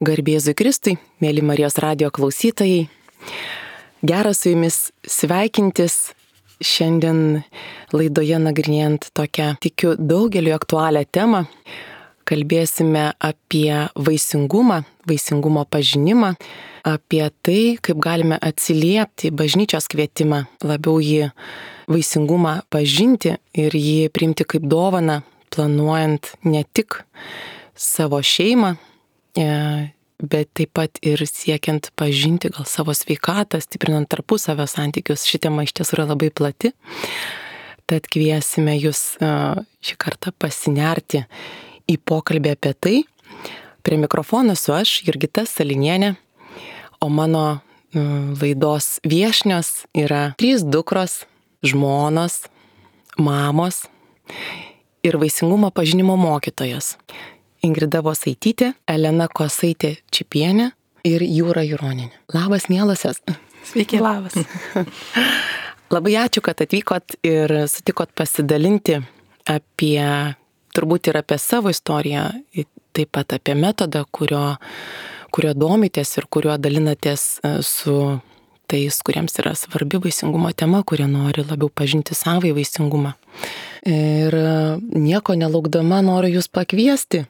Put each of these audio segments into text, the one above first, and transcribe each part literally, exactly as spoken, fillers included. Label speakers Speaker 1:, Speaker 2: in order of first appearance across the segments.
Speaker 1: Garbė Jėzui Kristui, mėly Marijos radijo klausytojai. Gera su jumis sveikintis šiandien laidoje nagrinėjant tokią, tikiu, daugeliu aktualią temą. Kalbėsime apie vaisingumą, vaisingumo pažinimą, apie tai, kaip galime atsiliepti bažnyčios kvietimą, labiau jį vaisingumą pažinti ir jį priimti kaip dovaną, planuojant ne tik savo šeimą, bet taip pat ir siekiant pažinti gal savo sveikatą, stiprinant tarpusavio santykius. Ši tema iš tiesų yra labai plati, tad kviesime jūs šį kartą pasinerti į pokalbį apie tai. Prie mikrofono esu aš, Jurgita Salinienė, o mano laidos viešnios yra trys dukros, žmonos, mamos ir vaisingumo pažinimo mokytojos. Ingrida Vosaitytė, Elena Kosaitė Čipienė ir Jūra Juronienė. Labas, mielosios.
Speaker 2: Sveiki. Labas.
Speaker 1: Labai ačiū, kad atvykot ir sutikot pasidalinti apie, turbūt ir apie savo istoriją, taip pat apie metodą, kurio, kurio domitės ir kuriuo dalinatės su tais, kuriems yra svarbi vaisingumo tema, kurie nori labiau pažinti savąjį vaisingumą. Ir nieko nelaukdama noriu jūs pakviesti,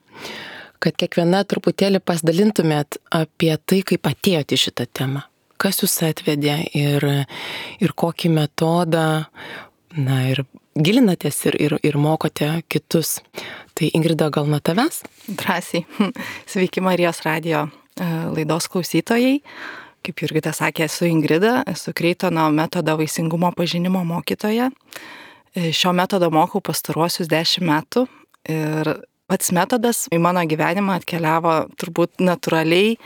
Speaker 1: kad kiekviena truputėlį pasidalintumėt apie tai, kaip atėjote į šitą temą. Kas jūs atvedė ir, ir kokį metodą, na ir gilinatės ir, ir, ir mokote kitus. Tai Ingrida, gal nuo tavęs?
Speaker 2: Drąsiai. Sveiki Marijos radijo laidos klausytojai. Kaip Jurgita sakė, esu Ingrida, esu Kreitono metodo vaisingumo pažinimo mokytoja. Šio metodo mokau pastaruosius dešimt metų ir pats metodas į mano gyvenimą atkeliavo turbūt natūraliai,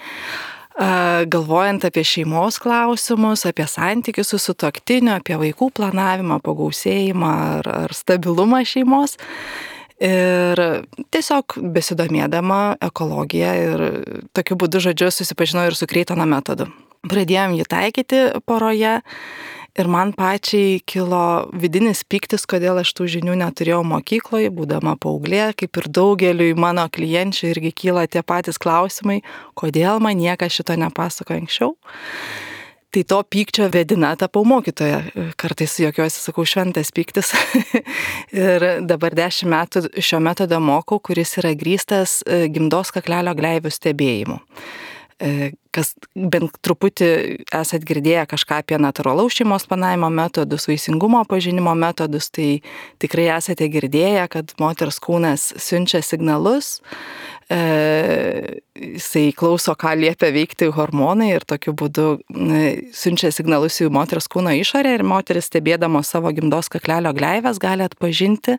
Speaker 2: galvojant apie šeimos klausimus, apie santykius su sutuoktiniu, apie vaikų planavimą, pagausėjimą ar, ar stabilumą šeimos. Ir tiesiog besidomėdama ekologiją ir tokiu būdu, žodžiu, susipažinau ir su Kreitono metodu. Pradėjom jį taikyti poroje. Ir man pačiai kilo vidinis pyktis, kodėl aš tų žinių neturėjau mokykloje, būdama paauglė, kaip ir daugeliui mano klienčių irgi kyla tie patys klausimai, kodėl man niekas šito nepasako anksčiau. Tai to pykčio vedina tapau mokytoja. Kartais juokiuosi, sakau, šventas pyktis. Ir dabar dešimt metų šio metodo mokau, kuris yra grįstas gimdos kaklelio gleivių stebėjimu. Kas bent truputį esat girdėję kažką apie natūralaus šeimos planavimo metodus, vaisingumo pažinimo metodus, tai tikrai esate girdėję, kad moters kūnas siunčia signalus, e, jisai klauso, ką liepia veikti hormonai ir tokiu būdu e, siunčia signalus į moters kūno išorę ir moteris stebėdama savo gimdos kaklelio gleives gali atpažinti,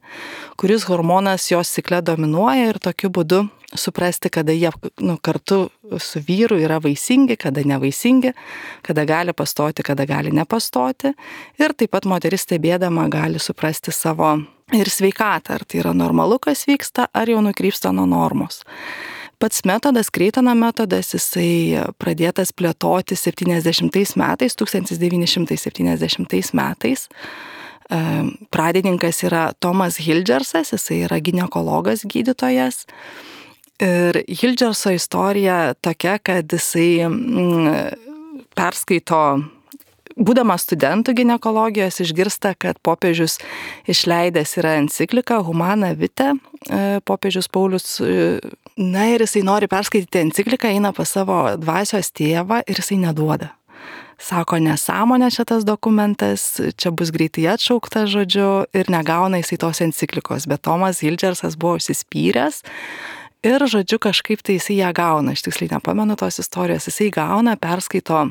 Speaker 2: kuris hormonas jos cikle dominuoja ir tokiu būdu suprasti, kada jie nu, kartu su vyru yra vaisingi, kada nevaisingi, kada gali pastoti, kada gali nepastoti. Ir taip pat moteris stebėdama gali suprasti savo ir sveikatą, ar tai yra normalu, kas vyksta, ar jau nukrypsta nuo normos. Pats metodas, Kreitono metodas, jisai pradėtas plėtoti septyniasdešimtais metais, tūkstantis devyni šimtai septyniasdešimtais metais. Pradininkas yra Tomas Hildžersas, jisai yra ginekologas, gydytojas. Ir Hildžerso istorija tokia, kad jisai mm, perskaito, būdamas studentų ginekologijos, išgirsta, kad popiežius išleidęs yra encikliką Humana Vitae, popiežius Paulius, na ir jisai nori perskaityti encikliką, eina pas savo dvasios tėvą ir jisai neduoda. Sako, nesąmonė šitas dokumentas, čia bus greitai atšaukta, žodžiu, ir negauna jisai tos enciklikos, bet Tomas Hildžersas buvo užsispyręs. Ir, žodžiu, kažkaip tai jisai ją gauna, aš tiksliai nepamenu tos istorijos, jisai gauna, perskaito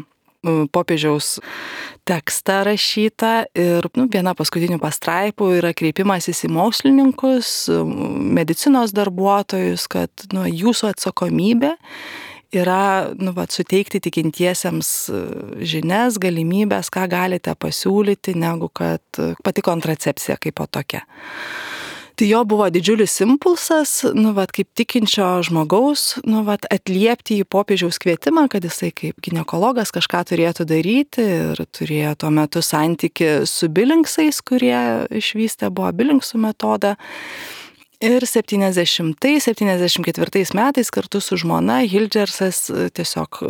Speaker 2: popiežiaus tekstą rašytą ir nu, viena paskutinių pastraipų yra kreipimasis į mokslininkus, medicinos darbuotojus, kad nu, jūsų atsakomybė yra nu, vat, suteikti tikintiesiems žinias, galimybės, ką galite pasiūlyti, negu kad pati kontracepcija kaip po tokia. Tai jo buvo didžiulis impulsas, nu, vat, kaip tikinčio žmogaus, nu, vat, atliepti į popiežiaus kvietimą, kad jisai kaip ginekologas kažką turėtų daryti ir turėjo tuo metu santykį su bilinksais, kurie išvystė buvo bilinksų metodą. Ir septyniasdešimtais septyniasdešimt ketvirtais metais kartu su žmona Hildžersas tiesiog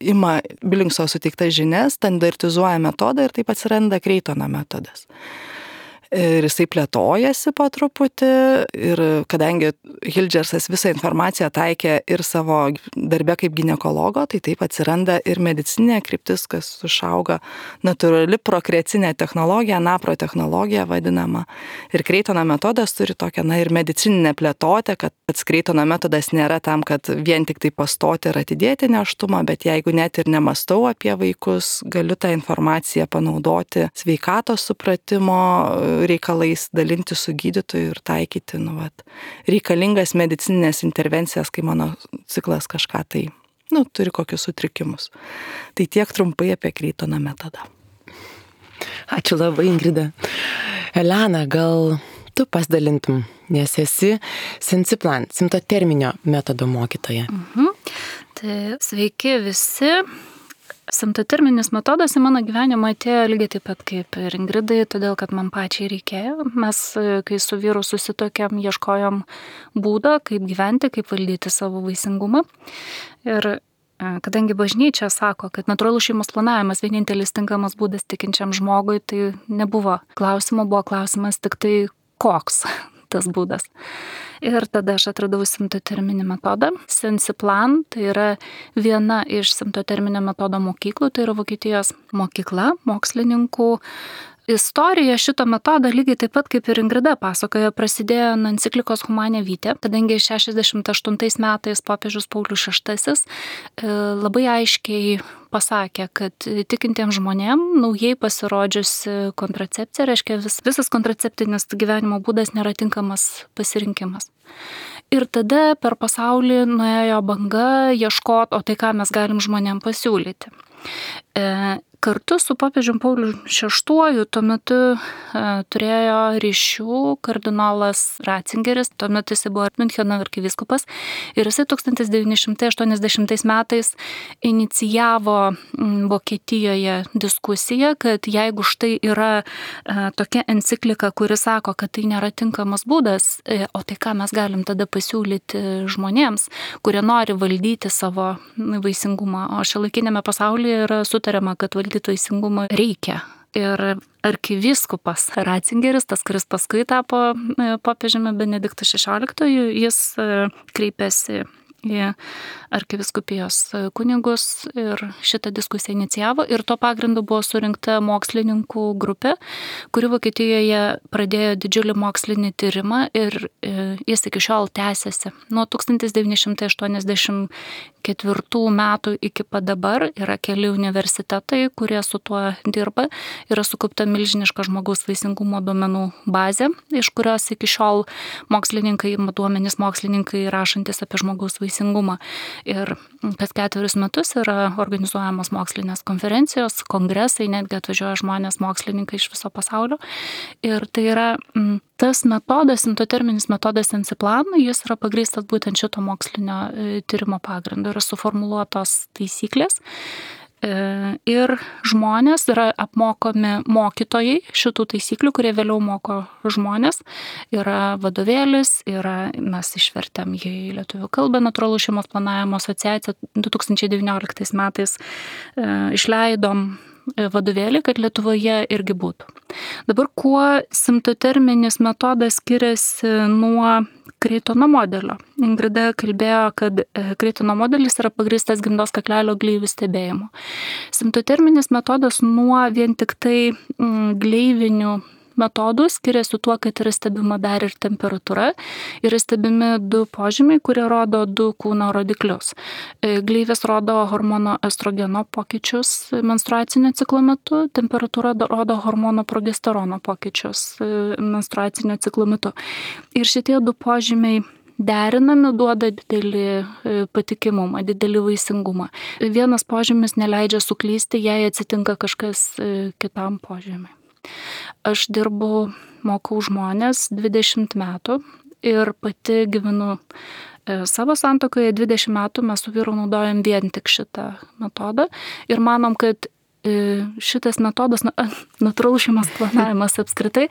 Speaker 2: ima Billingso suteiktas žinias, standartizuoja metodą ir taip atsiranda Kreitono metodas. Ir jisai plėtojasi po truputį ir kadangi Hildžersas visą informaciją taikė ir savo darbe kaip ginekologo, tai taip atsiranda ir medicininė kryptis, kas užauga natūrali prokreacinė technologija, napro technologija vadinama. Ir Kreitono metodas turi tokią, na, ir medicininę plėtotę, kad pats Kreitono metodas nėra tam, kad vien tik tai pastoti ir atidėti nėštumą, bet jeigu net ir nemastau apie vaikus, galiu tą informaciją panaudoti sveikatos supratimo reikalais, dalinti su gydytoju ir taikyti, nu, vat, reikalingas medicininės intervencijas, kai mano ciklas kažką tai, nu, turi kokius sutrikimus. Tai tiek trumpai apie Kreitono metodą.
Speaker 1: Ačiū labai, Ingrida. Elena, gal tu pasidalintum, nes esi Sensiplan, simptoterminio metodo mokytoja.
Speaker 3: Mhm. Tai sveiki visi. Simptoterminis metodas į mano gyvenimą atėjo lygiai taip pat kaip ir Ingridai, todėl kad man pačiai reikėjo. Mes, kai su vyru susitokėm, ieškojom būdą, kaip gyventi, kaip valdyti savo vaisingumą. Ir kadangi bažnyčia sako, kad natūralus šeimos planavimas vienintelis tinkamas būdas tikinčiam žmogui, tai nebuvo klausimo, buvo klausimas tik tai koks tas būdas. Ir tada aš atradau simptoterminį metodą. Sensiplan, tai yra viena iš simptoterminio metodo mokyklų, tai yra Vokietijos mokykla mokslininkų. Istorija šito metodo lygiai taip pat kaip ir Ingrida pasakojo, prasidėjo nuo enciklikos Humane Vitae, kadangi šešiasdešimt aštuntais metais popiežius Paulius šeštasis labai aiškiai pasakė, kad tikintiems žmonėm naujai pasirodžiusi kontracepcija, reiškia vis, visas kontraceptinis gyvenimo būdas nėra tinkamas pasirinkimas. Ir tada per pasaulį nuėjo banga ieškoti, o tai ką mes galim žmonėm pasiūlyti. E, Kartu su popiežium Pauliu šeštuoju tuo metu e, turėjo ryšių kardinolas Ratzingeris, tuo metu jis buvo Miuncheno arkivyskupas ir jisai tūkstantis devyni šimtai aštuoniasdešimtais metais inicijavo m, Vokietijoje diskusiją, kad jeigu štai yra e, tokia enciklika, kuri sako, kad tai nėra tinkamas būdas, e, o tai ką mes galim tada pasiūlyti žmonėms, kurie nori valdyti savo vaisingumą, o šiuolaikiniame pasaulyje yra sutariama, kad valdyti vaisingumą reikia. Ir arkivyskupas Ratzingeris, tas, kuris paskui tapo popiežiumi Benediktu šešioliktuoju, jis kreipėsi į arkivyskupijos kunigus ir šitą diskusiją inicijavo ir to pagrindu buvo surinkta mokslininkų grupė, kuri Vokietijoje pradėjo didžiulį mokslinį tyrimą ir jis iki šiol tęsiasi. Nuo tūkstantis devyni šimtai aštuoniasdešimt ketvirtų metų iki pat dabar yra keli universitetai, kurie su tuo dirba, yra sukaupta milžiniška žmogaus vaisingumo duomenų bazė, iš kurios iki šiol mokslininkai, duomenys mokslininkai rašantis apie žmogaus vaisingumą. Ir kas ketverius metus yra organizuojamos mokslinės konferencijos, kongresai, netgi atvažiuoja žmonės mokslininkai iš viso pasaulio. Ir tai yra m, tas metodas, simptoterminis metodas Sensiplan, jis yra pagrįstas būtent šito mokslinio e, tyrimo pagrindu. Yra suformuluotos taisyklės. Ir žmonės yra apmokomi mokytojai šitų taisyklių, kurie vėliau moko žmonės. Yra vadovėlis, yra, mes išvertėm jį į lietuvių kalbą, Natūralus šeimos planavimo asociacija du tūkstančiai devynioliktais metais e, išleidom vadovėlį, kad Lietuvoje irgi būtų. Dabar kuo simptoterminis metodas skiriasi nuo Kreitono modelio? Ingrida kalbėjo, kad Kreitono modelis yra pagrįstas gimdos kaklelio gleivių stebėjimu. Simptoterminis metodas nuo vien tik tai gleivinių metodų skiriasi tuo, kad yra stebima dar ir temperatūra, yra stebimi du požymiai, kurie rodo du kūno rodiklius. Gleivės rodo hormono estrogeno pokyčius menstruacinio ciklo metu, temperatūra rodo hormono progesterono pokyčius menstruacinio ciklo metu. Ir šitie du požymiai derinami duoda didelį patikimumą, didelį vaisingumą. Vienas požymis neleidžia suklysti, jei atsitinka kažkas kitam požymiui. Aš dirbu, mokau žmonės dvidešimt metų ir pati gyvenu savo santuokoje dvidešimt metų, mes su vyru naudojam vien tik šitą metodą ir manom, kad šitas metodas, natūralus šeimos planavimas apskritai,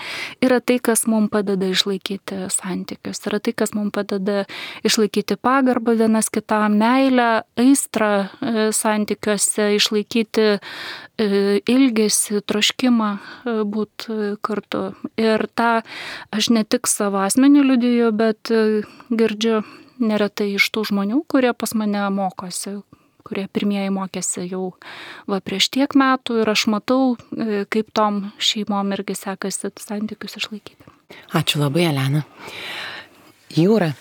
Speaker 3: yra tai, kas mums padeda išlaikyti santykius, yra tai, kas mums padeda išlaikyti pagarbą vienas kitam, meilę, aistrą santykiuose, išlaikyti ilgesį, troškimą būti kartu. Ir tą aš ne tik savo asmenį liudiju, bet girdžiu neretai iš tų žmonių, kurie pas mane mokosi, kurie pirmieji mokėsi jau va prieš tiek metų ir aš matau, kaip tom šeimom irgi sekasi santykius išlaikyti.
Speaker 1: Ačiū labai, Elena. Jūra,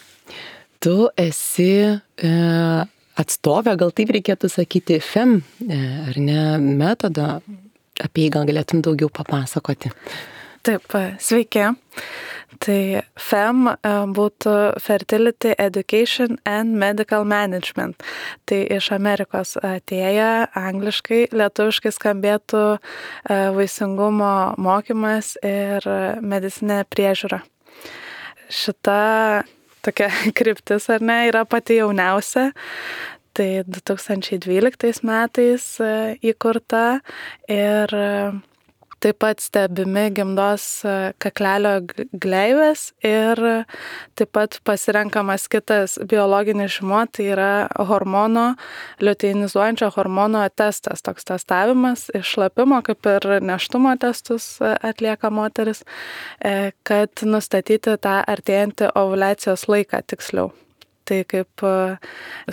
Speaker 1: tu esi e, atstovė, gal taip reikėtų sakyti, F E M, e, ar ne, metodą, apie jį gal galėtum daugiau papasakoti.
Speaker 4: Taip, sveiki. Tai F E M būtų Fertility Education and Medical Management. Tai iš Amerikos atėję, angliškai, lietuviškai skambėtų vaisingumo mokymas ir medicinė priežiūra. Šita tokia kryptis, ar ne, yra pati jauniausia. Tai du tūkstančiai dvyliktais metais įkurta ir taip pat stebimi gimdos kaklelio gleivės ir taip pat pasirenkamas kitas biologinis žymuo, tai yra hormono, liuteinizuojančio hormono testas, toks testavimas iš šlapimo, kaip ir nėštumo testus atlieka moteris, kad nustatyti tą artėjantį ovuliacijos laiką tiksliau. Tai kaip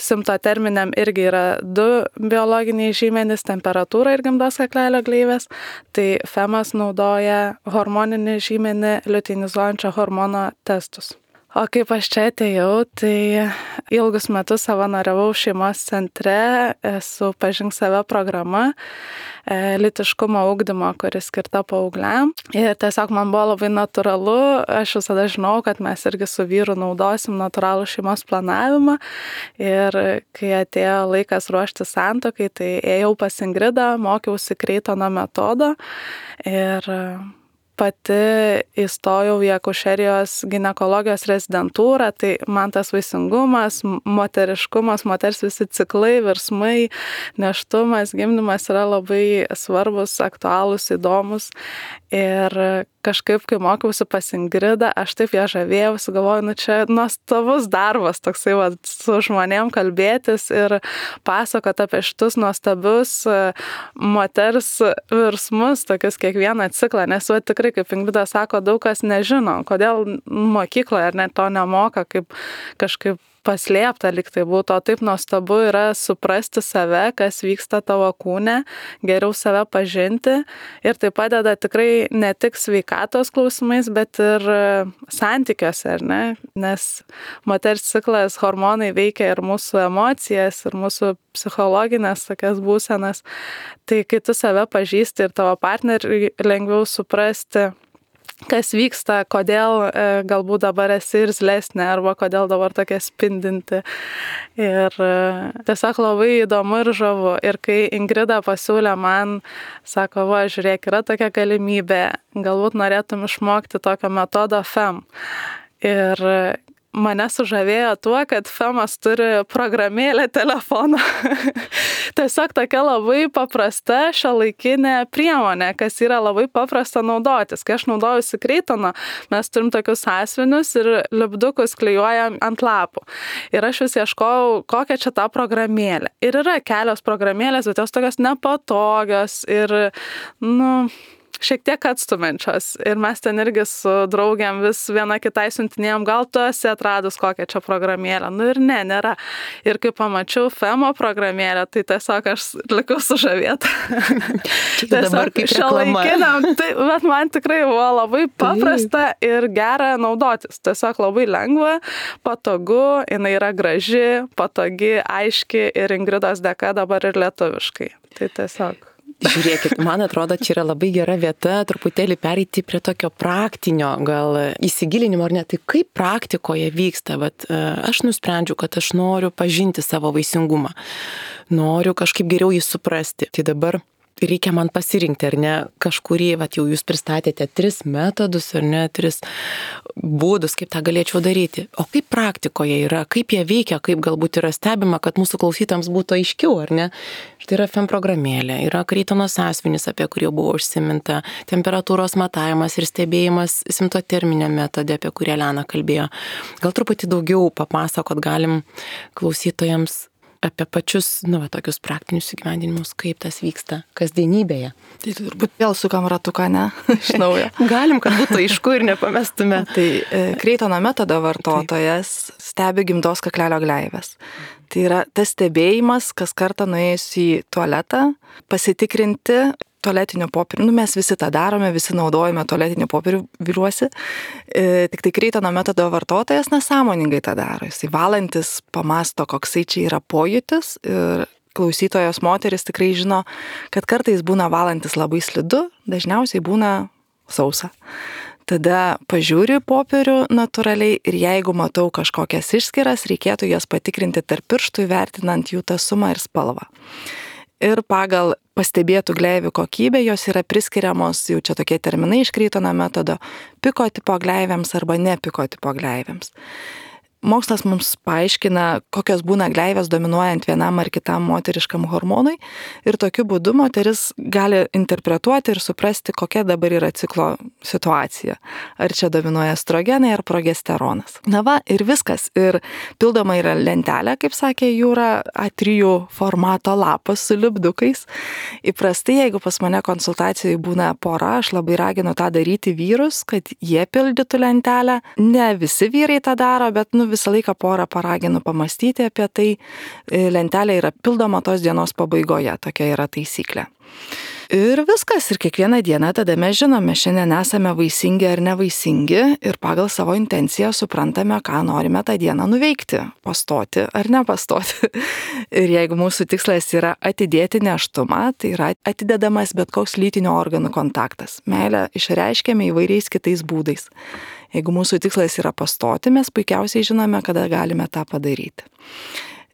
Speaker 4: simptoterminiam irgi yra du biologiniai žymenys, temperatūra ir gimdos kaklelio gleivės. Tai F E M-as naudoja hormoninį žymenį liuteinizuojančio hormono testus. O kaip aš čia atėjau, tai ilgus metus savanoriavau šeimos centre su Pažink save programa, lytiškumo ugdymo, kuris skirta paaugliam. Ir tiesiog man buvo labai natūralu, aš visada žinau, kad mes irgi su vyru naudosim natūralų šeimos planavimą. Ir kai atėjo laikas ruošti santuokai, tai ėjau pas Ingridą, mokiausi Kreitono metodo ir pati įstojau į akušerijos ginekologijos rezidentūrą, tai man tas vaisingumas, moteriškumas, moters visi ciklai, virsmai, nėštumas, gimdymas yra labai svarbus, aktualūs, įdomus. Ir kažkaip, kai mokiausi pas Ingridą, aš taip ją žavėjausi, galvoju, nu čia nuostabus darbas, toksai va, su žmonėm kalbėtis ir pasakoti apie šitus nuostabius moters virsmus, tokius kiekvieną ciklą, nes va, tikrai, kaip Ingrida sako, daug kas nežino, kodėl mokykloje ar net to nemoka, kaip kažkaip paslėpta lyg tai būtų, o taip nuostabu yra suprasti save, kas vyksta tavo kūne, geriau save pažinti ir tai padeda tikrai ne tik sveikatos klausimais, bet ir santykiuose, ar ne? Nes moters ciklas, hormonai veikia ir mūsų emocijas, ir mūsų psichologinės tokias būsenas. Tai kai tu save pažįsti ir tavo partnerį lengviau suprasti, kas vyksta, kodėl e, galbūt dabar esi ir zlesnė, arba kodėl dabar tokia spindinti. Ir e, tiesiog labai įdomu ir žavu. Ir kai Ingrida pasiūlė man, sako, va, žiūrėk, yra tokia galimybė, galbūt norėtum išmokti tokio metodo F E M. Ir mane sužavėjo tuo, kad F E M-as turi programėlę telefoną. Tiesiog tokia labai paprasta šiuolaikinė priemonė, kas yra labai paprasta naudotis. Kai aš naudojusi Kreitoną, mes turim tokius sąsiuvinius ir lipdukus klijuojam ant lapų. Ir aš vis ieškojau, kokią čia tą programėlę. Ir yra kelios programėlės, bet jos tokios nepatogios ir, nu, šiek tiek atstumenčios. Ir mes ten irgi su draugiam vis viena kitai siuntinėjom, gal tu esi atradus kokią čia programėlę. Nu ir ne, nėra. Ir kai pamačiau F E M-o programėlę, tai tiesiog aš likau sužavėta. Tiesiog šiuolaikiniam, tai, bet man tikrai buvo labai paprasta ir gera naudotis. Tiesiog labai lengva, patogu, jinai yra graži, patogi, aiški ir Ingridos dėka dabar ir lietuviškai. Tai tiesiog.
Speaker 1: Žiūrėkit, man atrodo, čia yra labai gera vieta truputėlį pereiti prie tokio praktinio, gal įsigilinimo ar ne, tai kaip praktikoje vyksta, bet aš nusprendžiu, kad aš noriu pažinti savo vaisingumą, noriu kažkaip geriau jį suprasti. Tai dabar reikia man pasirinkti, ar ne, kažkurį, vat, jau jūs pristatėte tris metodus, ar ne, tris būdus, kaip tą galėčiau daryti. O kaip praktikoje yra, kaip jie veikia, kaip galbūt yra stebima, kad mūsų klausytams būtų aiškiau, ar ne? Štai yra F E M programėlė, yra Kreitono sąsiuvinis, apie kurį jau buvo užsiminta, temperatūros matavimas ir stebėjimas simptoterminė metodė, apie kurią Elena kalbėjo. Gal truputį daugiau papasakot galim klausytojams apie pačius, nu, va, tokius praktinius įgyvendinimus, kaip tas vyksta kasdienybėje.
Speaker 2: Tai turbūt vėl sukam ratuką, ne? Iš naujo.
Speaker 1: Galim, kad būtų aišku ir nepamestume.
Speaker 2: Tai e, Kreitono metodo vartotojas Taip. stebi gimdos kaklelio gleivės. Tai yra tas stebėjimas, kas kartą nuėjus į tualetą, pasitikrinti tualetinio popierių. Nu, mes visi tą darome, visi naudojame tualetinį popierių, viliuosi. E, tik tai Kreitono metodo vartotojas nesąmoningai tą daro. Jisai valantis pamasto, koksai čia yra pojūtis ir klausytojos moteris tikrai žino, kad kartais būna valantis labai slidu, dažniausiai būna sausa. Tada pažiūriu popierių natūraliai ir jeigu matau kažkokias išskiras, reikėtų jas patikrinti tarp pirštų, įvertinant jų tasumą ir spalvą. Ir pagal pastebėtų gleivių kokybę jos yra priskiriamos, jau čia tokie terminai iš Kreitono metodo, piko tipo gleivėms arba ne piko tipo gleivėms. Mokslas mums paaiškina, kokios būna gleivės dominuojant vienam ar kitam moteriškam hormonui ir tokiu būdu moteris gali interpretuoti ir suprasti, kokia dabar yra ciklo situacija. Ar čia dominuoja estrogenai ar progesteronas. Na va, ir viskas. Ir pildoma yra lentelė, kaip sakė Jūra, A trys formato lapas su lipdukais. Įprastai, jeigu pas mane konsultacijai būna pora, aš labai raginu tą daryti vyrus, kad jie pildytų lentelę. Ne visi vyrai tą daro, bet nu visą laiką porą paraginu pamastyti apie tai. Lentelė yra pildoma tos dienos pabaigoje, tokia yra taisyklė. Ir viskas, ir kiekvieną dieną tada mes žinome, šiandien esame vaisingi ar nevaisingi ir pagal savo intenciją suprantame, ką norime tą dieną nuveikti, pastoti ar nepastoti. Ir jeigu mūsų tikslas yra atidėti nėštumą, tai yra atidedamas bet koks lytinio organų kontaktas. Meilę išreiškiame įvairiais kitais būdais. Jeigu mūsų tikslas yra pastoti, mes puikiausiai žinome, kada galime tą padaryti.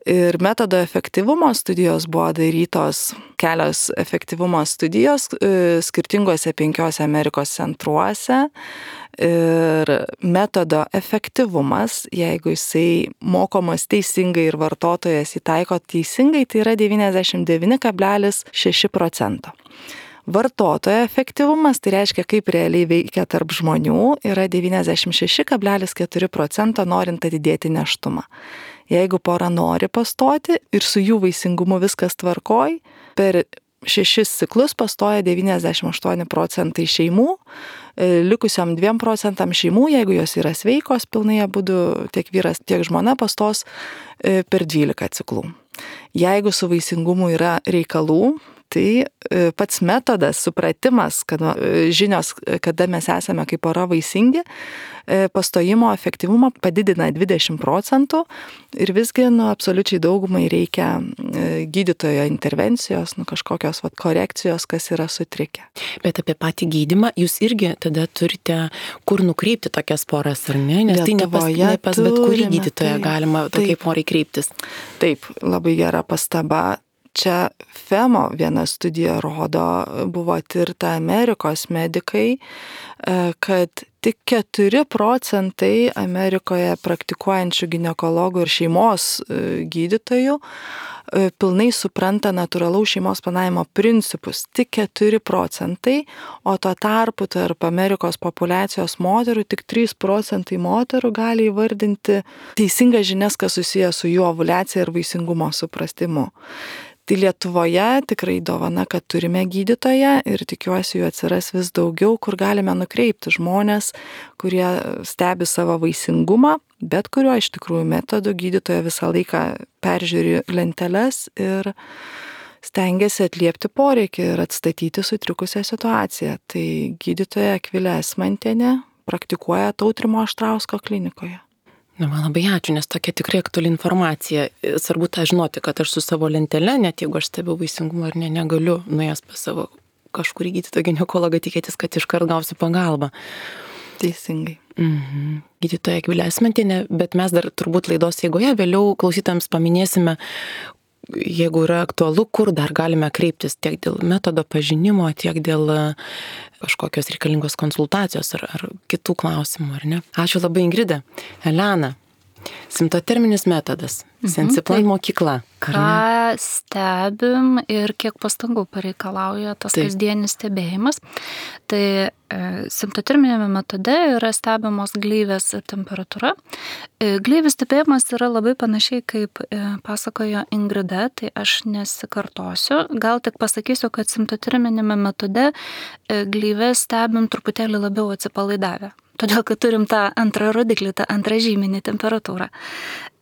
Speaker 2: Ir metodo efektyvumo studijos buvo darytos, kelios efektyvumo studijos skirtingose penkiose Amerikos centruose. Ir metodo efektyvumas, jeigu jisai mokomas teisingai ir vartotojas įtaiko teisingai, tai yra devyniasdešimt devyni kablelis šeši procento. Vartotojo efektyvumas, tai reiškia, kaip realiai veikia tarp žmonių, yra devyniasdešimt šeši kablelis keturi procento norint atidėti nėštumą. Jeigu pora nori pastoti ir su jų vaisingumu viskas tvarkoj, per šešis ciklus pastoja devyniasdešimt aštuoni procentai šeimų, likusiam dviem procentam šeimų, jeigu jos yra sveikos, pilnai abudu tiek vyras, tiek žmona pastos per dvylika ciklų. Jeigu su vaisingumu yra reikalų, tai pats metodas, supratimas, kad žinios, kada mes esame kaip pora vaisingi, pastojimo efektyvumą padidina dvidešimt procentų ir visgi nu, absoliučiai daugumai reikia gydytojo intervencijos, nu, kažkokios vat, korekcijos, kas yra sutrikę.
Speaker 1: Bet apie patį gydymą jūs irgi tada turite kur nukreipti tokias poras, ar ne? Nes Lietuvoje tai ne pas, ne pas bet kurį gydytoją taip, galima tokiai porai kreiptis.
Speaker 2: Taip, labai gera pastaba. Čia F E M O viena studija rodo, buvo tirta Amerikos medikai, kad tik keturi procentai Amerikoje praktikuojančių ginekologų ir šeimos gydytojų pilnai supranta natūralaus šeimos planavimo principus. Tik keturi procentai, o tuo tarpu tarp Amerikos populiacijos moterų tik trys procentai moterų gali įvardinti teisingas žinias, kas susijęs su jų ovuliacija ir vaisingumo suprastimu. Tai Lietuvoje tikrai dovana, kad turime gydytoją ir tikiuosi jų atsiras vis daugiau, kur galime nukreipti žmonės, kurie stebi savo vaisingumą, bet kuriuo iš tikrųjų metodu gydytoja visą laiką peržiūri lenteles ir stengiasi atliepti poreikį ir atstatyti sutrikusią situaciją. Tai gydytoja Akvilė Esmantienė praktikuoja Tautrimo Aštrausko klinikoje.
Speaker 1: Na, man labai ačiū, nes tokia tikrai aktuali informacija. Svarbu tą žinoti, kad aš su savo lentele, net jeigu aš stebiu vaisingumą ar ne, negaliu nuėjęs pas savo kažkurį gydytoją ginekologą tikėtis, kad iškart gausiu pagalbą.
Speaker 2: Teisingai.
Speaker 1: Mhm. Gydytoja Akvilė Esmantienė, bet mes dar turbūt laidos eigoje vėliau klausytams paminėsime, jeigu yra aktualu, kur dar galime kreiptis tiek dėl metodo pažinimo, tiek dėl kažkokios reikalingos konsultacijos ar, ar kitų klausimų, ar ne? Ačiū labai, Ingrida. Elena, simptoterminis metodas, mhm. Sensiplan mokykla.
Speaker 3: Ką stebim ir kiek pastangų pareikalauja tas Taip. kasdienis stebėjimas. Tai e, simptoterminėme metode yra stebimos gleivės ir temperatūra. E, gleivės stebėjimas yra labai panašiai, kaip e, pasakojo Ingrida, tai aš nesikartosiu. Gal tik pasakysiu, kad simptoterminėme metode e, gleivės stebim truputėlį labiau atsipalaidavę. Todėl, kad turim tą antrą rodiklį, tą antrą žyminį temperatūrą.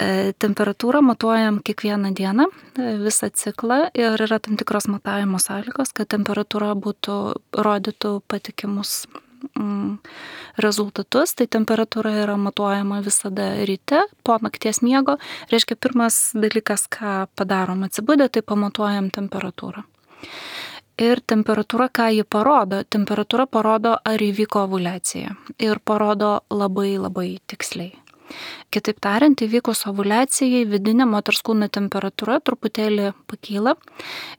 Speaker 3: E, temperatūrą matuojam kiekvieną dieną, e, visą ciklą ir yra tam tikros matavimo sąlygos, kad temperatūra būtų, rodytų patikimus mm, rezultatus. Tai temperatūra yra matuojama visada ryte, po nakties miego. Reiškia, pirmas dalykas, ką padarom atsibudę, tai pamatuojam temperatūrą. Ir temperatūra, ką ji parodo? Temperatūra parodo, ar įvyko ovuliacija. Ir parodo labai labai tiksliai. Kitaip tariant, įvykus ovuliacijai vidinė moters kūno temperatūra truputėlį pakyla.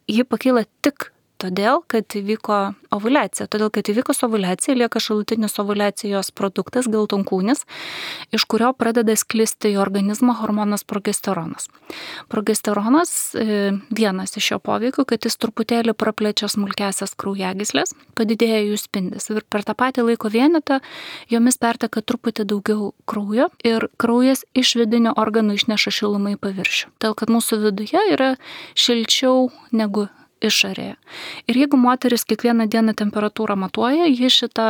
Speaker 3: Ji pakyla tik todėl, kad įvyko ovuliacija. Todėl, kad įvykus ovuliacija lieka šalutinis ovuliacijos produktas, geltonkūnis, iš kurio pradeda sklisti į organizmą hormonas progesteronas. Progesteronas e, vienas iš jo poveikių, kad jis truputėlį praplečia smulkesias kraujagyslės, padidėja jų spindis. Ir per tą patį laiko vienetą jomis perteka truputį daugiau kraujo ir kraujas iš vidinių organų išneša šilumą į paviršių. Todėl, kad mūsų viduje yra šilčiau negu išorėje. Ir jeigu moteris kiekvieną dieną temperatūrą matuoja, ji šitą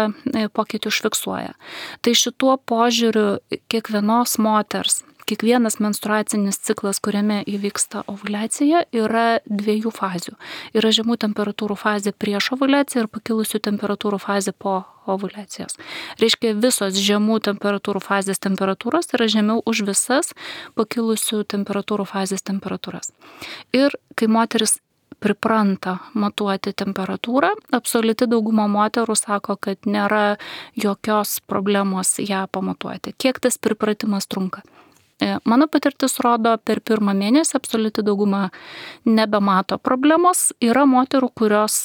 Speaker 3: pokytį užfiksuoja. Tai šituo požiūriu kiekvienos moters, kiekvienas menstruacinis ciklas, kuriame įvyksta ovuliacija, yra dviejų fazių. Yra žemų temperatūrų fazė prieš ovuliaciją ir pakilusių temperatūrų fazė po ovuliacijos. Reiškia, visos žemų temperatūrų fazės temperatūros yra žemiau už visas pakilusių temperatūrų fazės temperatūras. Ir kai moteris pripranta matuoti temperatūrą, absoliuti dauguma moterų sako, kad nėra jokios problemos ją pamatuoti. Kiek tas pripratimas trunka? Mano patirtis rodo, per pirmą mėnesį absoliuti dauguma nebemato problemos. Yra moterų, kurios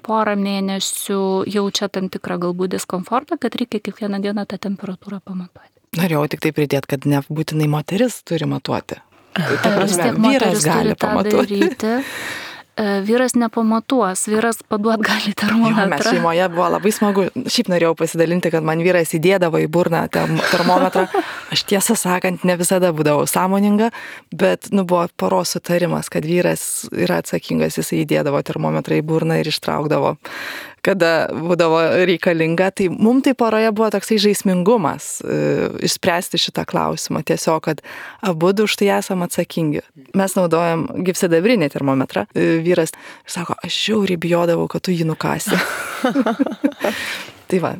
Speaker 3: porą mėnesių jaučia tam tikrą galbūt diskomfortą, kad reikia kiekvieną dieną tą temperatūrą pamatuoti.
Speaker 2: Norėjau tik tai pridėti, kad nebūtinai moteris turi matuoti.
Speaker 3: Ta prasme, vyras gali pamatuoti. Vyras nepamatuos, vyras paduot gali termometrą.
Speaker 2: Jo, mes šeimoje buvo labai smagu. Šiaip norėjau pasidalinti, kad man vyras įdėdavo į burną termometrą. Aš tiesą sakant, ne visada būdavau sąmoninga, bet nu, buvo poros sutarimas, kad vyras yra atsakingas, jis įdėdavo termometrą į burną ir ištraukdavo, kada būdavo reikalinga. Tai mums tai poroje buvo toksai žaismingumas e, išspręsti šitą klausimą. Tiesiog, kad abudu už tai esam atsakingi. Mes naudojam gyvsidabrinį termometrą. E, vyras sako, aš žiauriai bijodavau, kad tu jį nukasi. Tai va,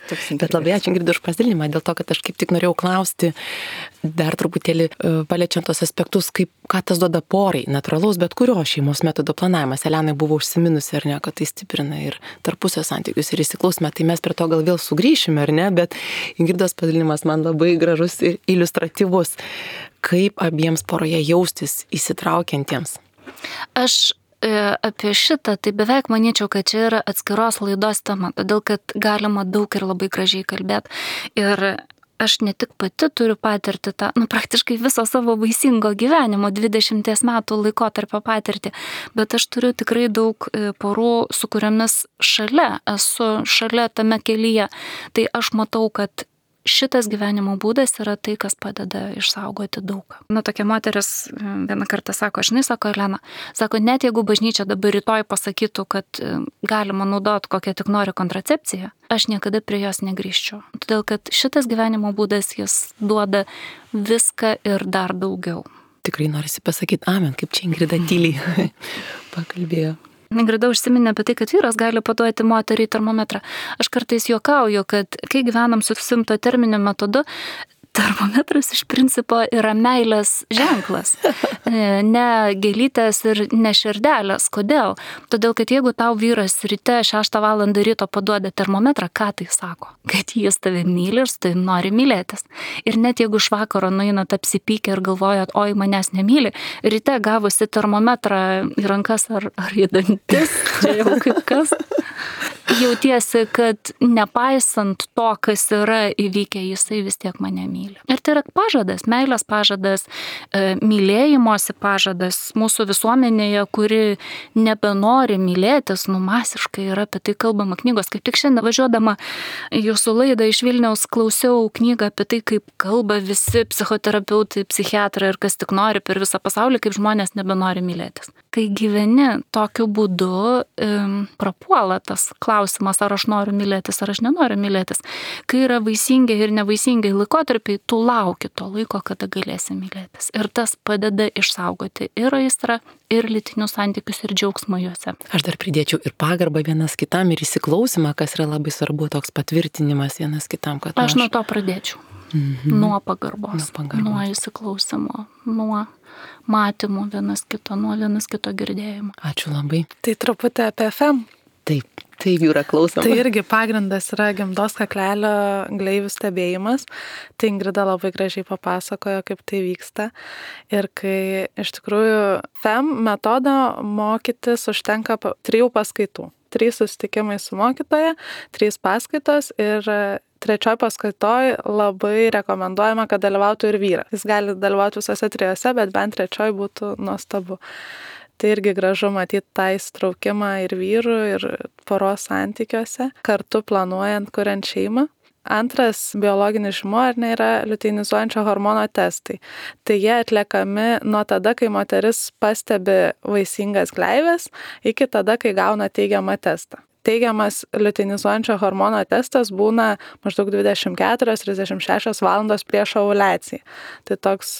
Speaker 2: toks
Speaker 1: Bet labai ačiū, Ingrida, už pasidalinimą, dėl to, kad aš kaip tik norėjau klausti dar truputėlį paliečiant tos aspektus, kaip, ką tas duoda porai, natūralaus, bet kurio šeimos metodo planavimas. Elenai buvo užsiminusi, ar ne, kad tai stiprina ir tarpusio santykius ir įsiklausime, tai mes prie to gal vėl sugrįšime, ar ne, bet Ingridos pasidalinimas man labai gražus ir iliustratyvus. Kaip abiems poroje jaustis įsitraukiantiems?
Speaker 3: Aš apie šitą, tai beveik manyčiau, kad čia yra atskiros laidos tema, todėl kad galima daug ir labai gražiai kalbėti. Ir aš ne tik pati turiu patirti tą, nu, praktiškai viso savo vaisingo gyvenimo, dvidešimties metų laikotarpio patirtį, bet aš turiu tikrai daug porų, su kuriomis šalia, esu šalia tame kelyje. Tai aš matau, kad šitas gyvenimo būdas yra tai, kas padeda išsaugoti daug. Na, tokia moteris vieną kartą sako, žinai, sako Elena, sako, net jeigu bažnyčia dabar rytoj pasakytų, kad galima naudoti kokią tik nori kontracepciją, aš niekada prie jos negrįžčiau. Todėl, kad šitas gyvenimo būdas, jis duoda viską ir dar daugiau.
Speaker 1: Tikrai norisi pasakyti amen, kaip čia Ingrida tyliai pakalbėjo.
Speaker 3: Ingrida užsiminė apie tai, kad vyras gali paduoti moteriai termometrą. Aš kartais juokauju, kad kai gyvenam su simptoterminiu metodu, termometras iš principo yra meilės ženklas. Ne gėlytės ir ne širdelės. Kodėl? Todėl, kad jeigu tau vyras ryte šeštą valandą ryto paduoda termometrą, ką tai sako? Kad jis tave myli ir su tavim nori mylėtis. Ir net jeigu iš vakaro nueinat apsipykę ir galvojat, oi, manęs nemyli, ryte gavusi termometrą į rankas ar, ar į dantis, čia jau kaip kas, jautiesi, kad nepaisant to, kas yra įvykę, jisai vis tiek mane myli. Ir tai yra pažadas, meilės pažadas, mylėjimosi pažadas mūsų visuomenėje, kuri nebenori mylėtis, nu masiškai yra apie tai kalbama knygos. Kaip tik šiandien važiuodama jūsų laidą iš Vilniaus klausiau knygą apie tai, kaip kalba visi psichoterapeutai, psichiatrai ir kas tik nori per visą pasaulį, kaip žmonės nebenori mylėtis. Kai gyveni tokiu būdu, um, prapuola tas klausimas, ar aš noriu mylėtis, ar aš nenoriu mylėtis. Kai yra vaisingi ir nevaisingi laikotarpiai, tu lauki to laiko, kada galėsi mylėtis. Ir tas padeda išsaugoti ir aistrą, ir lytinius santykius, ir džiaugsmą juose.
Speaker 1: Aš dar pridėčiau ir pagarbą vienas kitam, ir įsiklausimą, kas yra labai svarbu, toks patvirtinimas vienas kitam. Kad
Speaker 3: aš, aš nuo to pradėčiau. Mhm. Nuo pagarbos, nuo, pagarbos. Nuo įsiklausimo, nuo matymų vienas kito, nuo vienas kito girdėjimo.
Speaker 1: Ačiū labai.
Speaker 4: Tai truputį apie F E M.
Speaker 1: Taip, taip yra klausoma.
Speaker 4: Tai irgi pagrindas yra gimdos kaklelio gleivių stebėjimas. Tai Ingrida labai gražiai papasakojo, kaip tai vyksta. Ir kai iš tikrųjų F E M metodą mokytis užtenka trijų paskaitų. Trys susitikimai su mokytoja, trys paskaitos ir trečioj paskaitoj labai rekomenduojama, kad dalyvautų ir vyras. Jis gali dalyvauti visose trijose, bet bent trečioj būtų nuostabu. Tai irgi gražu matyti tą įsitraukimą ir vyrų, ir poros santykiuose, kartu planuojant, kuriant šeimą. Antras biologinis žymuo ar ne yra liuteinizuojančio hormono testai. Tai jie atliekami nuo tada, kai moteris pastebi vaisingas gleives, iki tada, kai gauna teigiamą testą. Teigiamas liuteinizuojančio hormono testas būna maždaug dvidešimt keturios trisdešimt šešios valandos prieš ovuliaciją. Tai toks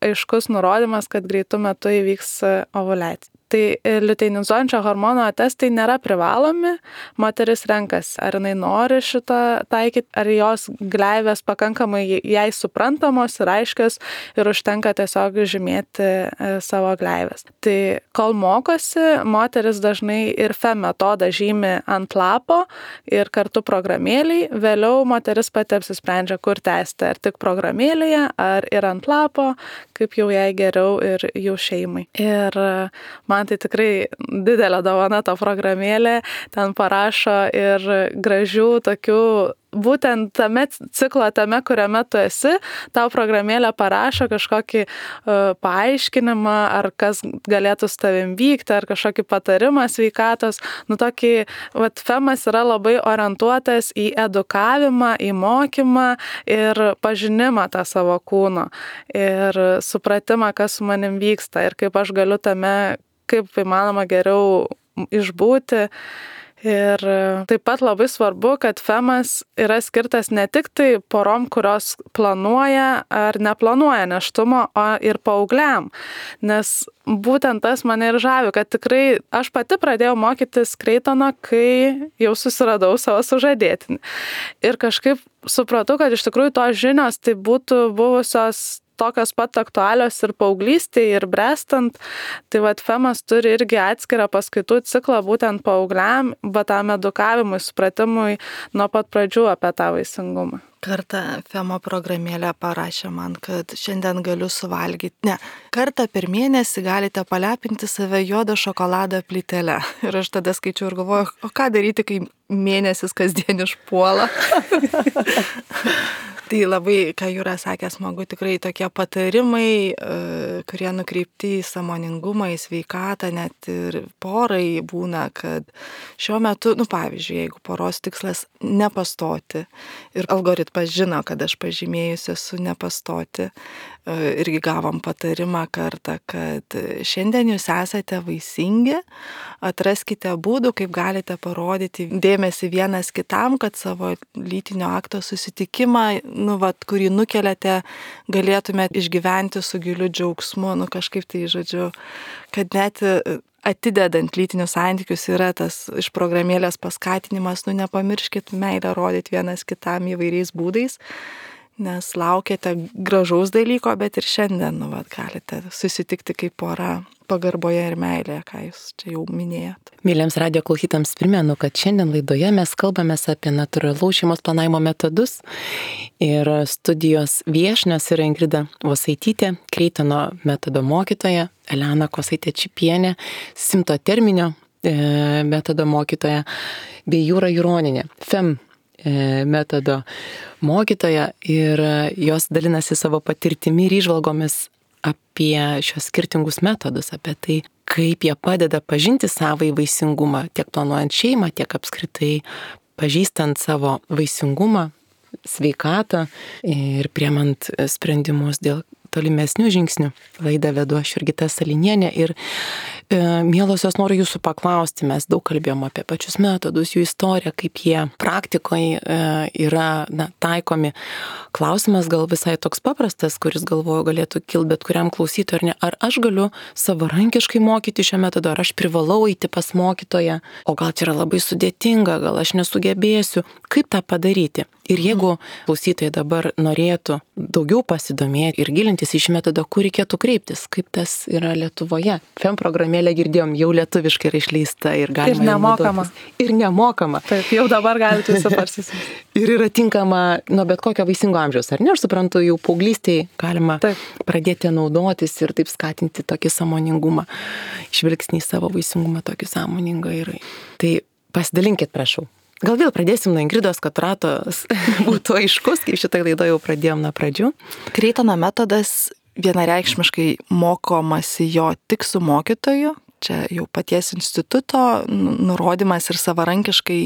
Speaker 4: aiškus nurodymas, kad greitų metu įvyks ovuliacija. Tai liuteinizuojančio hormono testai nėra privalomi, moteris renkasi, ar jinai nori šitą taikyti, ar jos gleivės pakankamai jai suprantamos ir aiškios ir užtenka tiesiog žymėti savo gleivės. Tai kol mokosi, moteris dažnai ir F E M metodą žymi ant lapo ir kartu programėliai, vėliau moteris pati apsisprendžia, kur tęsti, ar tik programėlėje, ar ir ant lapo, kaip jau jai geriau ir jų šeimai. Ir man tai tikrai didelė dovana ta programėlė, ten parašo ir gražių tokių, būtent tame ciklo, tame, kuriame tu esi, tau programėlė parašo kažkokį uh, paaiškinimą, ar kas galėtų su tavim vykti, ar kažkokį patarimą sveikatos. Nu, tokį, vat, F E M-as yra labai orientuotas į edukavimą, į mokymą ir pažinimą tą savo kūno. Ir supratimą, kas su manim vyksta ir kaip aš galiu tame, kaip įmanoma geriau išbūti. Ir taip pat labai svarbu, kad F E M-as yra skirtas ne tik tai porom, kurios planuoja ar neplanuoja nėštumo, o ir paaugliam. Nes būtent tas mane ir žavi, kad tikrai aš pati pradėjau mokytis Kreitono, kai jau susiradau savo sužadėtinį. Ir kažkaip supratau, kad iš tikrųjų tos žinios tai būtų buvusios tokios pat aktualios ir paauglystėje, ir brestant. Tai vat F E M-as turi irgi atskirą paskaitų ciklą būtent paaugliam, bet tam edukavimui, supratimui nuo pat pradžių apie tą vaisingumą.
Speaker 2: Kartą F E M-o programėlė parašė man, kad šiandien galiu suvalgyti. Ne, kartą per mėnesį galite palepinti save juodo šokolado plytele. Ir aš tada skaičiau ir galvoju, o ką daryti, kai mėnesis kasdien išpuola. Tai labai, ką Jūra sakė, smagu, tikrai tokie patarimai, kurie nukreipti į sąmoningumą, į sveikatą, net ir porai būna, kad šiuo metu, nu pavyzdžiui, jeigu poros tikslas nepastoti ir algoritmas žino, kad aš pažymėjusi esu nepastoti, irgi gavom patarimą kartą, kad šiandien jūs esate vaisingi, atraskite būdų, kaip galite parodyti dėmesį vienas kitam, kad savo lytinio akto susitikimą, nu, vat, kurį nukeliate, galėtumėte išgyventi su giliu džiaugsmu, nu, kažkaip tai, žodžiu, kad net atidedant lytinius santykius yra tas iš programėlės paskatinimas, nu, nepamirškit meilę rodyti vienas kitam įvairiais būdais, nes laukiate gražaus dalyko, bet ir šiandien, nu, vat, galite susitikti kaip pora pagarboje ir meilėje, ką jūs čia jau minėjot.
Speaker 1: Mėlyms radio klausytams primenu, kad šiandien laidoje mes kalbame apie natūralaus šeimos planavimo metodus ir studijos viešnios yra Ingrida Vosaitytė, Kreitono metodo mokytoja, Elena Kosaitė-Čipienė, Simto terminio e, metodo mokytoja, bei Jūra Juronienė, F E M metodo mokytoja, ir jos dalinasi savo patirtimi ir įžvalgomis apie šios skirtingus metodus, apie tai, kaip jie padeda pažinti savąjį vaisingumą, tiek planuojant šeimą, tiek apskritai pažįstant savo vaisingumą, sveikatą ir priemant sprendimus dėl tolimesnių žingsnių. Laidą vedu aš Jurgita Salinienė ir e, mielosios noriu jūsų paklausti, mes daug kalbėjom apie pačius metodus, jų istoriją, kaip jie praktikoje e, yra na, taikomi. Klausimas gal visai toks paprastas, kuris galvoju galėtų kilti bet kuriam klausytojui, ar ne, ar aš galiu savarankiškai mokyti šią metodą, ar aš privalau eiti pas mokytoją, o gal čia yra labai sudėtinga, gal aš nesugebėsiu, kaip tą padaryti. Ir jeigu klausytojai dabar norėtų daugiau pasidomėti ir gilintis į šį metodą, kur reikėtų kreiptis, kaip tas yra Lietuvoje. F E M programėlę girdėjom, jau lietuviškai yra išleista ir galima.
Speaker 4: Ir nemokama.
Speaker 1: Ir nemokama.
Speaker 4: Taip, jau dabar galite visi parsisiųsti.
Speaker 1: Ir yra tinkama nuo bet kokio vaisingo amžiaus, ar ne? Aš suprantu, jau paauglystėje galima taip pradėti naudotis ir taip skatinti tokį sąmoningumą, žvilgsnį į savo vaisingumą tokį sąmoningą. Ir... Tai pasidalinkit, prašau. Gal vėl pradėsim nuo Ingridos, kad ratas būtų aiškus, kaip šitą laidą jau pradėjom nuo pradžių.
Speaker 2: Kreitono metodas vienareikšmiškai mokomasi jo tik su mokytoju. Čia jau paties instituto nurodymas ir savarankiškai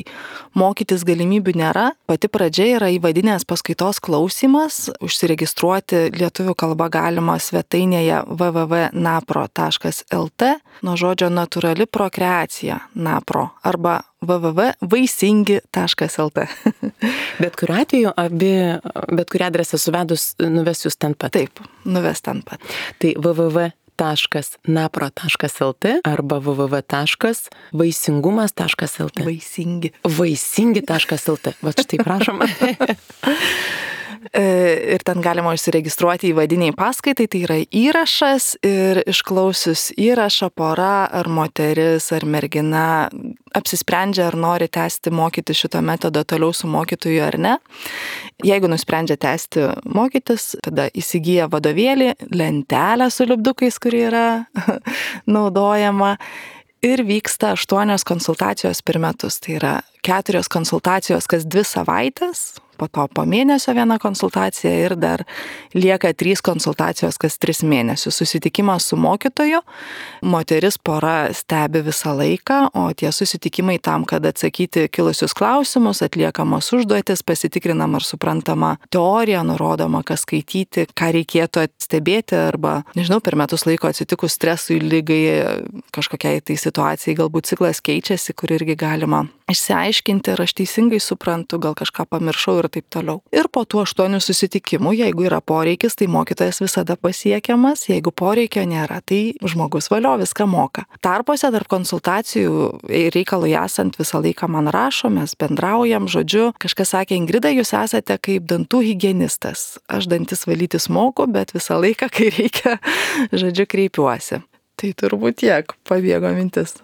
Speaker 2: mokytis galimybių nėra. Pati pradžia yra įvadinės paskaitos klausimas. Užsiregistruoti lietuvių kalba galima svetainėje w w w taškas napro taškas l t nuo žodžio natūrali prokreacija napro arba w w w taškas vaisingi taškas l t.
Speaker 1: Bet kuriuo atveju, abi, bet kurią adresą suvedus nuves jūs ten pat.
Speaker 2: Taip, nuves ten pat.
Speaker 1: Tai w w w taškas napro taškas l t arba w w w taškas vaisingumas taškas l t.
Speaker 2: Vaisingi.
Speaker 1: Vaisingi taškas l t. Va štai prašom.
Speaker 2: Ir ten galima užsiregistruoti įvadiniai paskaitai, tai yra įrašas ir išklausius įrašą pora ar moteris ar mergina apsisprendžia, ar nori tęsti mokyti šito metodo toliau su mokytoju ar ne. Jeigu nusprendžia tęsti mokytis, tada įsigyja vadovėlį, lentelę su lipdukais, kuri yra naudojama. Ir vyksta aštuonios konsultacijos per metus. Tai yra keturios konsultacijos kas dvi savaitės, po to po mėnesio viena konsultacija ir dar lieka trys konsultacijos kas tris mėnesius. Susitikimas su mokytoju, moteris pora stebi visą laiką, o tie susitikimai tam, kad atsakyti kilusius klausimus, atliekamos užduotis, pasitikrinama ar suprantama teorija, nurodoma, kas skaityti, ką reikėtų stebėti arba, nežinau, per metus laiko atsitikus stresui, lygai, kažkokiai tai situacijai, galbūt ciklas keičiasi, kur irgi galima išsiaiškinti, ar aš teisingai suprantu, gal kažką pamiršau ir taip toliau. Ir po tų aštuonių susitikimų, jeigu yra poreikis, tai mokytojas visada pasiekiamas, jeigu poreikio nėra, tai žmogus valio viską moka. Tarpuose tarp konsultacijų reikalui esant visą laiką man rašo, mes bendraujam, žodžiu, kažkas sakė, Ingrida, jūs esate kaip dantų higienistas. Aš dantis valytis moku, bet visą laiką, kai reikia, žodžiu, kreipiuosi. Tai turbūt tiek, pabėgo mintis.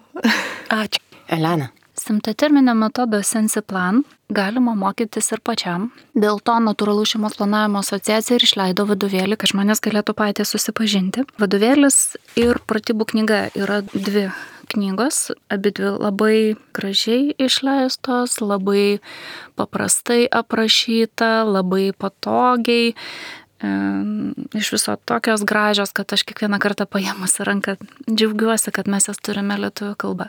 Speaker 1: Ačiū. Elena.
Speaker 3: Simtoterminio metodo Sensiplan galima mokytis ir pačiam. Dėl to Natūralaus šeimos planavimo asociacija ir išleido vadovėlį, kad žmonės galėtų patys susipažinti. Vadovėlis ir pratybų knyga yra dvi knygos, abidvi labai gražiai išleistos, labai paprastai aprašyta, labai patogiai. Iš viso tokios gražios, kad aš kiekvieną kartą paėmus ranką džiaugiuosi, kad mes jas turime lietuvių kalbą.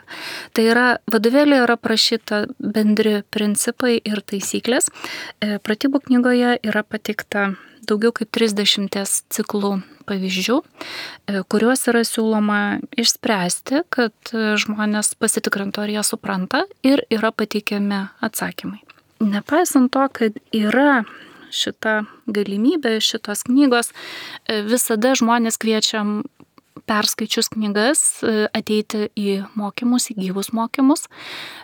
Speaker 3: Tai yra, vadovėlė yra prašyta bendri principai ir taisyklės. Pratybų knygoje yra pateikta daugiau kaip trisdešimties ciklų pavyzdžių, kuriuos yra siūloma išspręsti, kad žmonės pasitikrintų, ar jie supranta, ir yra pateikiami atsakymai. Nepaisant to, kad yra šita galimybė, šitos knygos, visada žmonės kviečiam perskaičius knygas ateiti į mokymus, į gyvus mokymus,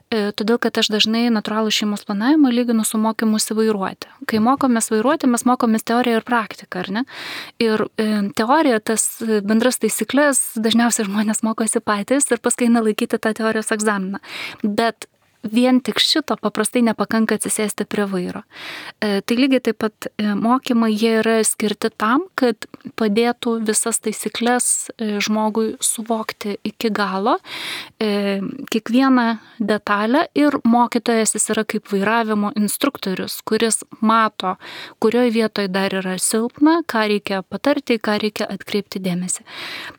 Speaker 3: todėl kad aš dažnai natūralų šeimos planavimą lyginu su mokymusi vairuoti. Kai mokomės vairuoti, mes mokomės teoriją ir praktiką, ar ne? Ir teorija, tas bendras taisyklės, dažniausiai žmonės mokosi patys ir paskui eina laikyti tą teorijos egzaminą. Bet vien tik šito paprastai nepakanka atsisėsti prie vairo. E, tai lygiai taip pat e, mokymai jie yra skirti tam, kad padėtų visas taisyklės e, žmogui suvokti iki galo, e, kiekvieną detalę, ir mokytojas jis yra kaip vairavimo instruktorius, kuris mato, kurioje vietoje dar yra silpna, ką reikia patarti, ką reikia atkreipti dėmesį.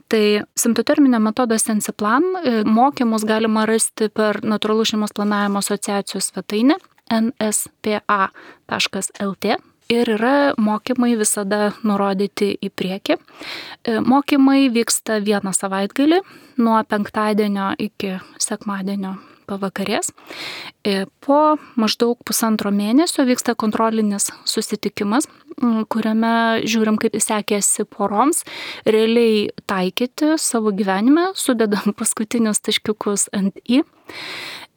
Speaker 3: Tai simptoterminio metodo Sensiplan e, mokymus galima rasti per natūralų šeimos planavimo asociacijos svetainę en es pė a taškas el tė ir yra mokymai visada nurodyti į priekį. Mokymai vyksta vieną savaitgalį nuo penktadienio iki sekmadienio pavakarės. Po maždaug pusantro mėnesio vyksta kontrolinis susitikimas, kuriame žiūrim, kaip sekėsi poroms realiai taikyti savo gyvenime, sudedam paskutinius taškiukus ant i.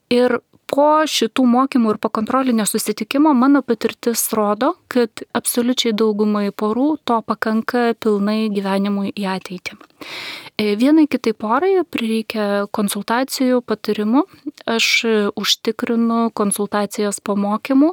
Speaker 3: Ir po šitų mokymų ir po kontrolinio susitikimo mano patirtis rodo, kad absoliučiai daugumai porų to pakanka pilnai gyvenimui į ateitį. Vienai kitai porai prireikia konsultacijų, patarimų. Aš užtikrinu konsultacijas po mokymų,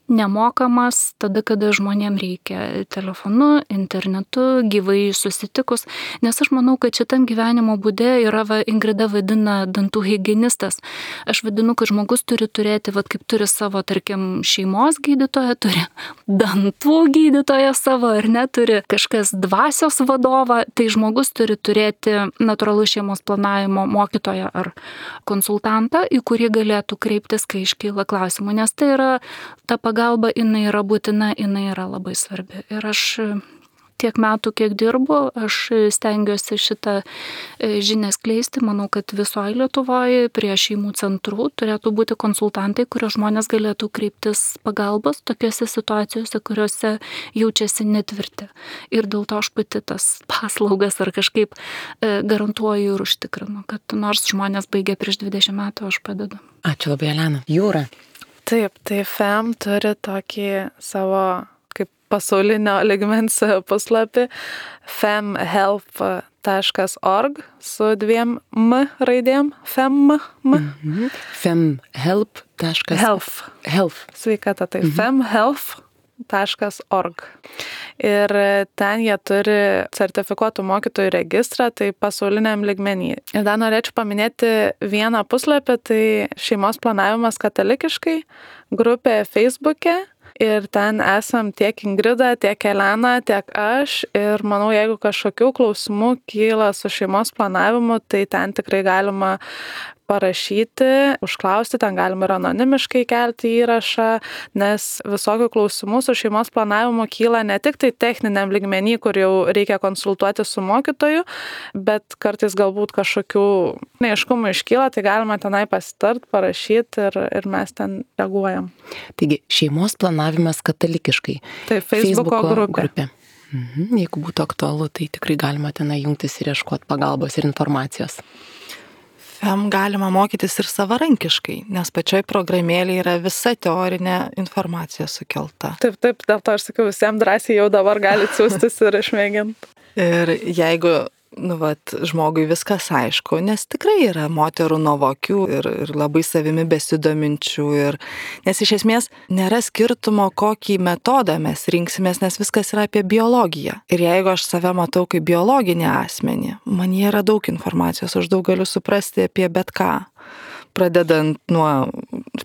Speaker 3: nemokamas tada, kada žmonėm reikia, telefonu, internetu, gyvai susitikus, nes aš manau, kad šitam gyvenimo būde yra, va, Ingrida vadina dantų higienistas. Aš vadinu, kad žmogus turi turėti, va, kaip turi savo, tarkim, šeimos gydytoją, turi dantų gydytoją savo, ar ne, turi kažkas dvasios vadovą, tai žmogus turi turėti natūralų šeimos planavimo mokytoją ar konsultantą, į kurį galėtų kreiptis, kai iškyla klausimų, nes tai yra ta pagalba, jinai yra būtina, jinai yra labai svarbi. Ir aš tiek metų, kiek dirbu, aš stengiuosi šitą žinią skleisti. Manau, kad visoje Lietuvoje prie šeimų centrų turėtų būti konsultantai, kurie žmonės galėtų kreiptis pagalbos tokiose situacijose, kuriuose jaučiasi netvirti. Ir dėl to aš pati tas paslaugas ar kažkaip garantuoju ir užtikrinu, kad nors žmonės baigė prieš dvidešimt metų, aš padedu.
Speaker 1: Ačiū labai, Elena. Jūra.
Speaker 4: Taip, tai F E M turi tokį savo kaip pasaulinio ligmens puslapį f e m help taškas org su dviem M raidėm. F E M.
Speaker 1: Mhm. femhelp.
Speaker 4: Health.
Speaker 1: Health.
Speaker 4: Sveikata, tai
Speaker 1: Mhm.
Speaker 4: femhelp taškas org. Ir ten jie turi sertifikuotų mokytojų registrą, tai pasauliniam lygmenį. Ir dar norėčiau paminėti vieną puslapį, tai šeimos planavimas katalikiškai, grupė Facebook'e. Ir ten esam tiek Ingrida, tiek Elena, tiek aš. Ir manau, jeigu kažkokių klausimų kyla su šeimos planavimu, tai ten tikrai galima parašyti, užklausti, ten galima ir anonimiškai kelti įrašą, nes visokių klausimų su šeimos planavimu kyla ne tik tai techniniam lygmenį, kur jau reikia konsultuoti su mokytoju, bet kartais galbūt kažkokių neaiškumų iškyla, tai galima tenai pasitart, parašyti ir, ir mes ten reaguojam.
Speaker 1: Taigi, šeimos planavimas katalikiškai.
Speaker 4: Tai Facebooko grupė.
Speaker 1: grupė. Mhm. Jeigu būtų aktualu, tai tikrai galima tenai jungtis ir ieškoti pagalbos ir informacijos.
Speaker 2: F E M galima mokytis ir savarankiškai, nes pačioj programėlėje yra visa teorinė informacija sukelta.
Speaker 4: Taip, taip, dėl to aš sakiau, visiems drąsiai jau dabar galite siūstis ir išmėginti.
Speaker 2: Ir jeigu, nu, vat, žmogui viskas aišku, nes tikrai yra moterų nuovokių ir, ir labai savimi besidominčių, ir, nes iš esmės nėra skirtumo, kokį metodą mes rinksimės, nes viskas yra apie biologiją. Ir jeigu aš save matau kaip biologinį asmenį, man yra daug informacijos, aš daug galiu suprasti apie bet ką. Pradedant nuo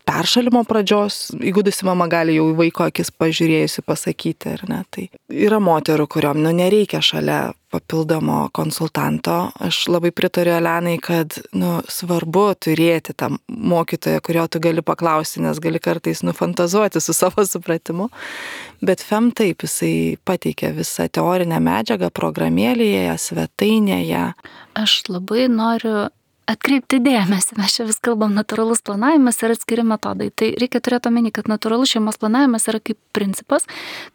Speaker 2: peršalimo pradžios, įgudusi mama gali jau į vaiko akis pažiūrėjusi pasakyti, ar ne. Tai yra moterų, kuriuom nu, nereikia šalia papildomo konsultanto. Aš labai pritariu Elenai, kad nu, svarbu turėti tą mokytoją, kurio tu gali paklausti, nes gali kartais nufantazuoti su savo supratimu. Bet F E M taip, jisai pateikia visą teorinę medžiagą programėlėje, svetainėje.
Speaker 3: Aš labai noriu atkreipti dėmesį, mes čia vis kalbam natūralus planavimas ir atskiri metodai. Tai reikia turėti omeny, kad natūralus šeimos planavimas yra kaip principas,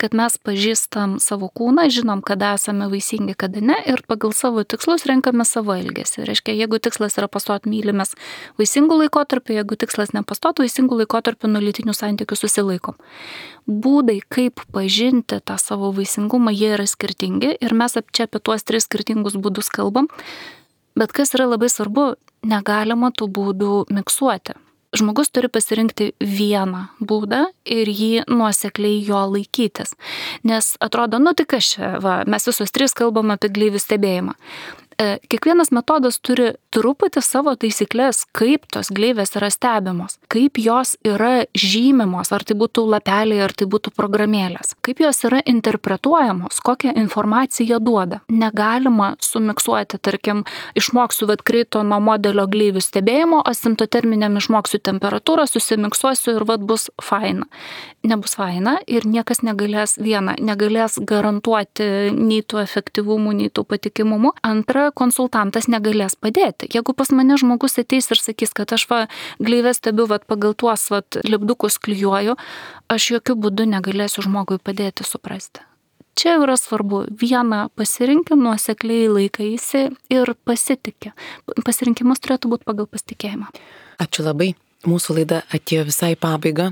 Speaker 3: kad mes pažįstam savo kūną, žinom, kada esame vaisingi, kada ne, ir pagal savo tikslus renkame savo elgesį. Reiškia, jeigu tikslas yra pastoti mylimės vaisingų laikotarpių, jeigu tikslas nepastoti vaisingų laikotarpių, nuo lytinių santykių susilaikom. Būdai, kaip pažinti tą savo vaisingumą, jie yra skirtingi ir mes čia apie tuos tris skirtingus būdus kalbam. Bet kas yra labai svarbu, negalima tų būdų miksuoti. Žmogus turi pasirinkti vieną būdą ir jį nuosekliai jo laikytis. Nes atrodo, nu tai kas čia, va, mes visos trys kalbam apie gleivių stebėjimą. Kiekvienas metodas turi truputį savo taisyklės, kaip tos gleivės yra stebimos, kaip jos yra žymimos, ar tai būtų lapeliai, ar tai būtų programėlės, kaip jos yra interpretuojamos, kokią informaciją duoda. Negalima sumiksuoti, tarkim, išmoksiu vat kreito nuo modelio gleivių stebėjimo, asimptoterminiam išmoksiu temperatūrą, susimiksuosiu ir vat bus faina. Nebus faina ir niekas negalės, viena, negalės garantuoti nei tų efektyvumų, nei tų patikimumų. Antra, konsultantas negalės padėti. Jeigu pas mane žmogus ateis ir sakys, kad aš va gleivę stebiu va, pagal tuos va, lipdukus klijuoju, aš jokių būdų negalėsiu žmogui padėti suprasti. Čia yra svarbu, vieną pasirinkti, nuosekliai laikaisi ir pasitikė. Pasirinkimas turėtų būti pagal pasitikėjimą.
Speaker 1: Ačiū labai. Mūsų laida atėjo visai pabaiga.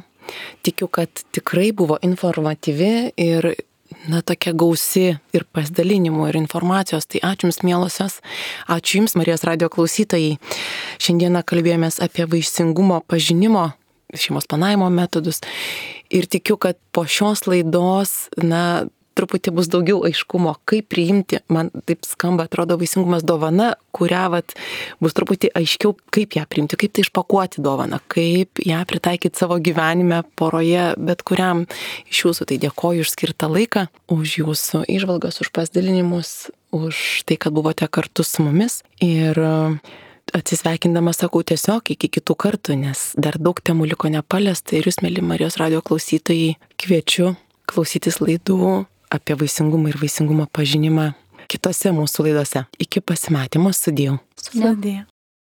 Speaker 1: Tikiu, kad tikrai buvo informatyvi ir na, tokia gausi ir pasidalinimų, ir informacijos. Tai ačiū Jums, mielosios. Ačiū Jums, Marijos radijo klausytojai. Šiandieną kalbėjomės apie vaisingumo pažinimo, šeimos planavimo metodus. Ir tikiu, kad po šios laidos, na, truputį bus daugiau aiškumo, kaip priimti, man taip skamba, atrodo, vaisingumas dovana, kurią vat, bus truputį aiškiau, kaip ją priimti, kaip tai išpakuoti dovaną, kaip ją pritaikyti savo gyvenime, poroje, bet kuriam iš Jūsų. Tai dėkoju už skirtą laiką, už Jūsų įžvalgas, už pasidalinimus, už tai, kad buvote kartu su mumis. Ir atsisveikindama sakau tiesiog iki kitų kartų, nes dar daug temų liko nepaliesta. Ir Jūs, mėly Marijos radijo klausytojai, kviečiu klausytis laidų apie vaisingumą ir vaisingumo pažinimą kitose mūsų laidose. Iki pasimatymo, sudie.
Speaker 4: Sudie.